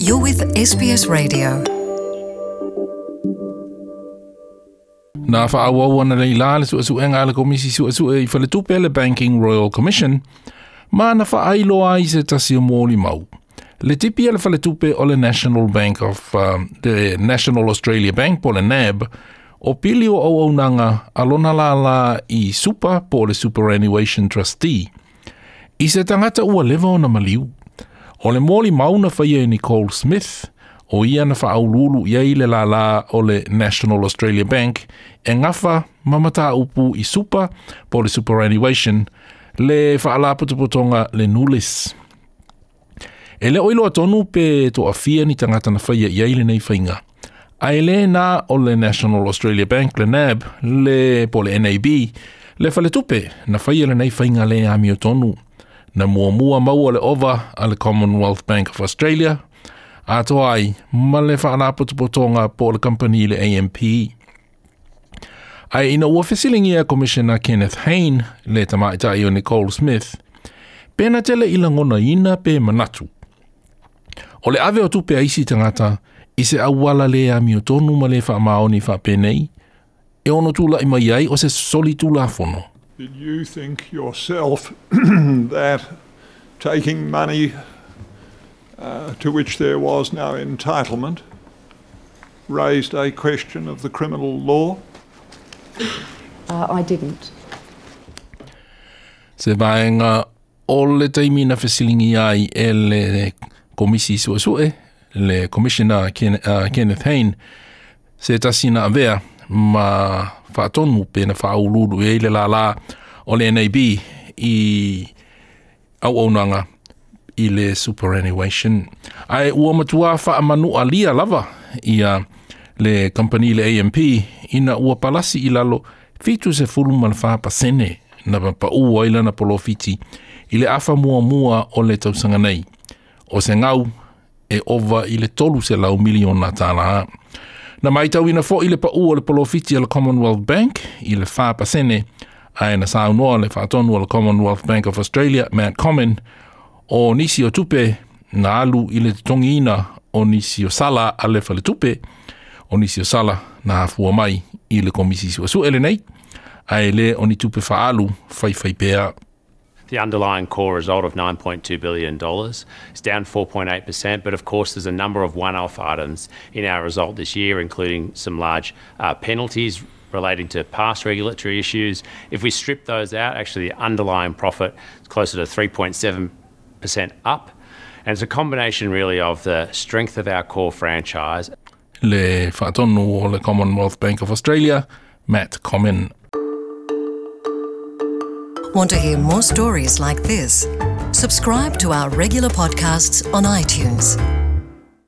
You're with SBS Radio. Na faaauau analeila le suesuega a le Komisi Suesue i Faletupe le Banking Royal Commission, ma na faailoa ai se tasi o molimau. Le tipi a le Faletupe o le National Bank of the National Australia Bank po o le NAB, o pili o auaunaga a lona lālā i Super po o le Superannuation Trustee, i se tagata ua leva ona maliu. O le molimau na faia e Nicole Smith, o ia na faauluulu i ai le lālā o le National Australia Bank e gafa ma mataupu i Super po o le Superannuation, le faalapotopotoga le Nulis. E le o iloa tonu pe toafia ni tagata na faia i ai lenei faiga. Ae le na o le National Australia Bank, le NAB, le po o le NAB, le faletupe na faia lenei faiga le amiotonu. Na muamua maua le ova a le Commonwealth Bank of Australia, atoa ai ma le faalapotopotoga po o le kamupani le AMP. Ae ina ua fesiligia Commissioner Kenneth Hayne, le tamaitai o Nicole Smith, pe na te le i lagonaina pe manatu. O le ave o tupe a isi tagata i se auala le amiotonu ma le faamaoni faapenei, e ono tula'i mai ai o se solitulafono. Did you think yourself that taking money to which there was no entitlement raised a question of the criminal law? I didn't. Se vaega o le taimi na fesiligia ai e le Komisi Suesue, le Commissioner Kenneth Hayne, se tasi na avea ma faatonu pe na faauluulu i ai le lālā o le NAB i auaunaga i le superannuation. Ae ua matuā faamanualia lava ia le kamupani le AMP ina ua palasi i lalo 74% na paū ai lana polofiti i le afa muamua o le tausaga nei. O se gau e ova i le 300 miliona tālā. Na matauina foi le paū o le polofiti a le Commonwealth Bank i le 4%, ae na saunoa le faatonu o le Commonwealth Bank of Australia, Matt Comyn, o nisi o tupe na alu i le totogiina o nisi o sala a le faletupe, o nisi o sala na afua mai i le Komisi Suesue lenei, ae le o ni tupe faaalu faifaipea. The underlying core result of $9.2 billion is down 4.8%, but of course there's a number of one-off items in our result this year, including some large penalties relating to past regulatory issues. If we strip those out, actually the underlying profit is closer to 3.7% up. And it's a combination really of the strength of our core franchise. Le faatonu o le Commonwealth Bank of Australia, Matt Comyn. Want to hear more stories like this? Subscribe to our regular podcasts on iTunes.